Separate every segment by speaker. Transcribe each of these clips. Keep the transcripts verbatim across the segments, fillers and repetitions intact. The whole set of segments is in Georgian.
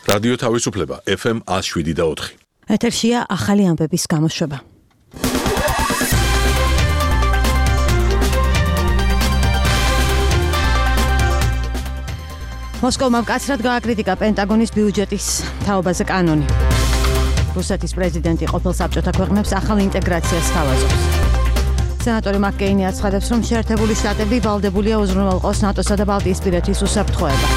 Speaker 1: რადიო თავისუფლება ეფ ემ ათს შვიდი და ოთხი.
Speaker 2: ეთერშია ახალი ამბების გამოშვება. მოსკოვმა მკაცრად გააკრიტიკა პენტაგონის ბიუჯეტის თაობაზე კანონი. რუსეთის პრეზიდენტი ყოფილ საბჭოთა ქვეყნებს ახალ ინტეგრაციას თავაზობს. სენატორი მაკ-კეინი აცხადებს, რომ შეერთებული შტატები ვალდებულია უზრუნველყოს ნატოსა და ბალტიისპირეთის უსაფრთხოება.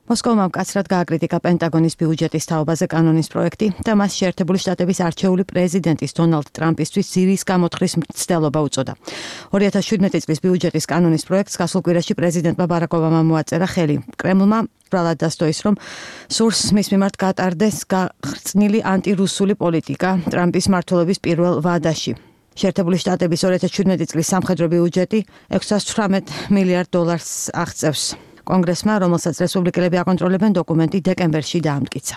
Speaker 2: მოსკოვმა მკაცრად გააკრიტიკა პენტაგონის ბიუჯეტის თაობაზე კანონის პროექტი და მას შეერთებული შტატების არჩეული პრეზიდენტის დონალდ ტრამპისთვის ძირის გამოთხრის მცდელობა უწოდა. ორი ათას შვიდმეტი წლის ბიუჯეტის კანონის პროექტს გასულ კვირაში პრეზიდენტმა ბარაკ ობამამ მოაწერა ხელი. კრემლმა ბრალად დასდო ის, რომ სურს მის მიმართ გატარდეს გახრწნილი ანტირუსული პოლიტიკა ტრამპის მმართველობის პირველ ვადაში. შეერთებული შტატების ორი ათას შვიდმეტი წლის სამხედრო ბიუჯეტი ექვსას ცხრამეტ მილიარდ დოლარს აღწევს. კონგრესმა, რომელსაც რესპუბლიკელები აკონტროლებენ, დოკუმენტი დეკემბერში დაამტკიცა.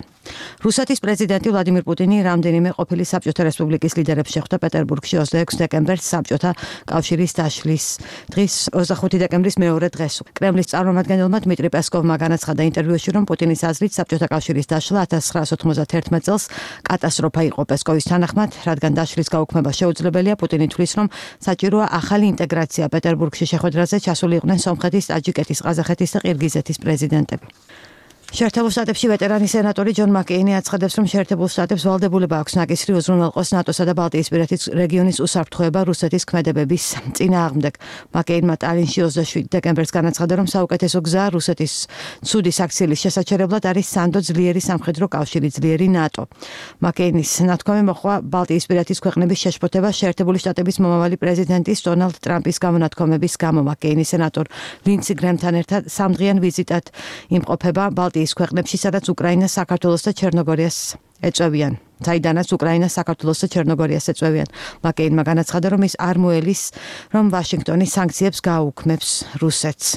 Speaker 2: რუსეთის პრეზიდენტი ვლადიმირ პუტინი რამდენიმე ყოფილი საბჭოთა რესპუბლიკის ლიდერებს შეხვდა პეტერბურგში ოცდაექვსი დეკემბერს საბჭოთა კავშირის დაშლის დღის ოცდახუთი დეკემბრის მეორე დღეს. კრემლის წარმომადგენელმა დმიტრი პესკოვმა განაცხადა ინტერვიუში, რომ პუტინის აზრით საბჭოთა კავშირის დაშლა ათას ცხრაას ოთხმოცდაათერთმეტ წელს კატასტროფა იყო. პესკოვის თანახმად, რადგან დაშლის გაუქმება შეუძლებელია, პუტინი თვლის, რომ საჭიროა ახალი ინტეგრაცია. პეტერბურგში შეხვედრაზე ჩასული იყვნენ სომხეთის, ტაჯიკეთის, ყაზახეთის და ყირგიზეთის პრეზიდენტები. შეერთებულ შტატებში ვეტერანი სენატორი ჯონ მაკ-კეინი აცხადებს, რომ შეერთებულ შტატებს ვალდებულება აქვს ნაკისრი უზრუნველყოს ნატოსა და ბალტიისპირეთის რეგიონის უსაფრთხოება რუსეთის ქმედებების წინააღმდეგ. მაკ-კეინმა ტალინში ოცდაშვიდი დეკემბერს განაცხადა, რომ საუკეთესო გზა რუსეთის ცუდი საქციელის შესაჩერებლად არის სანდო ძლიერი სამხედრო კავშირი, ძლიერი ნატო. მაკ-კეინის ნათქვამი მოჰყვა ბალტიისპირეთის ქვეყნების შეშფოთება შეერთებული შტატების მომავალი პრეზიდენტის დონალდ ტრამპის გამონათქვამების გამო. მაკ-კეინი სენატორ ლინდსი გრემთან ერთად სამდღიან ვიზიტად იმყოფება ბალტიის ქვეყნებში, სადაც უკრაინას, საქართველოს და ჩერნოგორიას ეწევიან. საიდანაც უკრაინას, საქართველოს და ჩერნოგორიას ეწევიან. მაკ-კეინმა განაცხადა, რომ ის არ მოელის, რომ ვაშინგტონი სანქციებს გააუქმებს რუსეთს.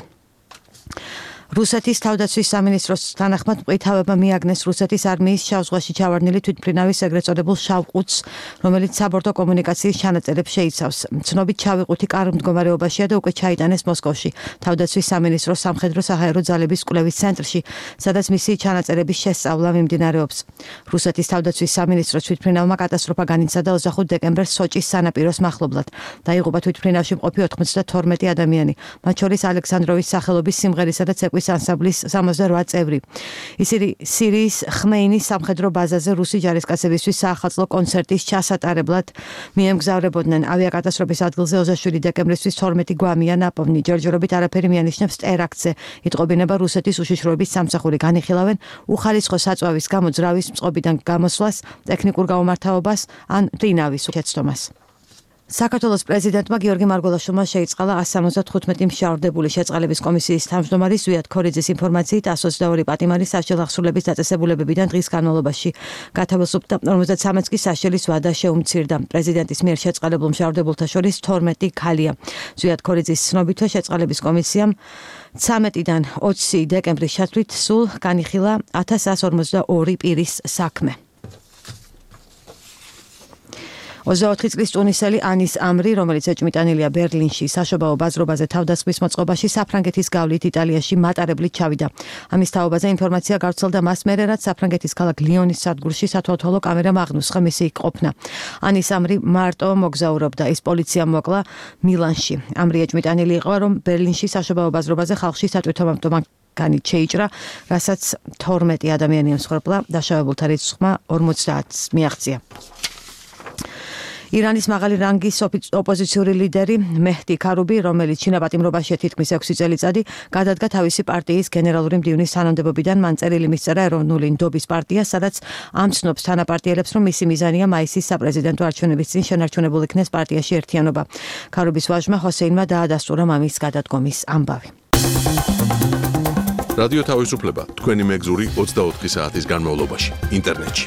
Speaker 2: რუსეთის თავდაცვის სამინისტროს თანახმად მყვითავება მიაგნეს რუსეთის არმიის შავ ზღვაში ჩავარდნილი თვითმფრინავის ეგრეთ წოდებულ შავ ყუთს, რომელიც საბორტო კომუნიკაციის ჩანაწერებს შეიცავს. ცნობით შავი ყუთი კარგ მდგომარეობაშია და უკვე ჩაიტანეს მოსკოვში, თავდაცვის სამინისტროს სამხედრო საჰაერო ძალების კვლევის ცენტრში, სადაც მისი ჩანაწერების შესწავლა მიმდინარეობს. რუსეთის თავდაცვის სამინისტროს თვითმფრინავმა კატასტროფა განიცადა ოცდახუთი დეკემბერს სოჭის სანაპიროს მახლობლად. დაიღუპა თვითმფრინავში მყოფი ოთხმოცდათორმეტი ადამიანი, მათ შორის ალექსანდროვის სახელობის სიმღერისა და ცეკვის ანსამბლის სამოცდარვა წევრი. ისინი სირიის ხმეინის სამხედრო ბაზაზე რუსი ჯარისკაცებისთვის საახალწლო კონცერტის ჩასატარებლად მიემგზავრებოდნენ. ავიაკატასტროფის ადგილზე ოცდაშვიდი დეკემბრისთვის თორმეტი გვამია ნაპოვნი. ჯერჯერობით არაფერი მიანიშნებს ტერაქტზე. იტყობინება რუსეთის უშიშროების სამსახური. განიხილავენ უხალისხო საწვავის გამო ძრავის წყობიდან გამოსვლას, ტექნიკურ გაუმართავობას ან მტინავის შეცდომას. საქართველოს პრეზიდენტმა გიორგი მარგველაშვილმა შეიწყალა ასს სამოცდათხუთმეტი მშავრდებული შეწყალების კომისიის თავმჯდომარე ზვიად ქორიძის ინფორმაციით ასს ოცდაორი პატიმარი სასჯელ აღსრულების დაწესებულებებიდან დღის განმავლობაში გათავისუფლდა, ორმოცდათვრამეტს კი სასჯელის ვადა შეუმცირდა. პრეზიდენტის მიერ შეწყალებულ მშავრდებულთა შორის თორმეტი ქალია. ზვიად ქორიძის ცნობითვე შეწყალების კომისიამ ცამეტიდან ოცი დეკემბრის ჩათვლით სულ განიხილა ათას εκατს ორმოცდაორი პირის საქმე. ოცდაოთხი წლის ტუნისელი ანის ამრი, რომელიც ეჭმიტანილია ბერლინში, საშობაო ბაზრობაზე თავდასხმის მოწყობაში საფრანგეთის გავლით იტალიაში მატარებლით ჩავიდა. ამის თაობაზე ინფორმაცია გავრცელდა მას მერე, რაც საფრანგეთის ქალაქ ლიონის სადგურში სათვალთვალო კამერამ აღნუსხა მისი იქ ყოფნა. ანის ამრი მარტო მოგზაურობდა, ის პოლიციამ მოკლა მილანში. ამრი ეჭმიტანილი იყო, რომ ბერლინში საშობაო ბაზრობაზე ხალხში სატვირთო განით შეიჭრა, რასაც თორმეტი ადამიანი ემსხვერპლა, დაშავებულთა რიცხვმა ორმოცდაათს მიაღწია. ირანის მაღალი რანგის ოპოზიციური ლიდერი მეჰდი ქარუბი, რომელიც ჩინაპატიმრობაშია თითქმის ექვსი წელიწადი, გადადგა თავისი პარტიის გენერალური მდივნის თანამდებობიდან. მან წერილი მისწერა ეროვნული ნდობის პარტიას, სადაც ამცნობს თანაპარტიელებს, რომ მისი მიზანია მაისის საპრეზიდენტო არჩევნების წინ შენარჩუნებულ იქნეს პარტიაში ერთიანობა. ქარუბის ვაჟმა ჰოსეინმა დაადასტურა მამის გადადგომის ამბავი.
Speaker 1: რადიო თავისუფლება თქვენი მეგზური ოცდაოთხი საათის განმავლობაში ინტერნეტში.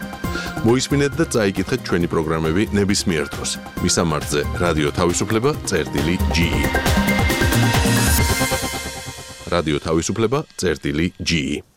Speaker 1: მოისმინეთ და წაიკითხეთ ჩვენი პროგრამები ნებისმიერ დროს. მისამართზე რადიო თავისუფლება წერტილი ჯი ი. რადიო თავისუფლება წერტილი ჯი ი.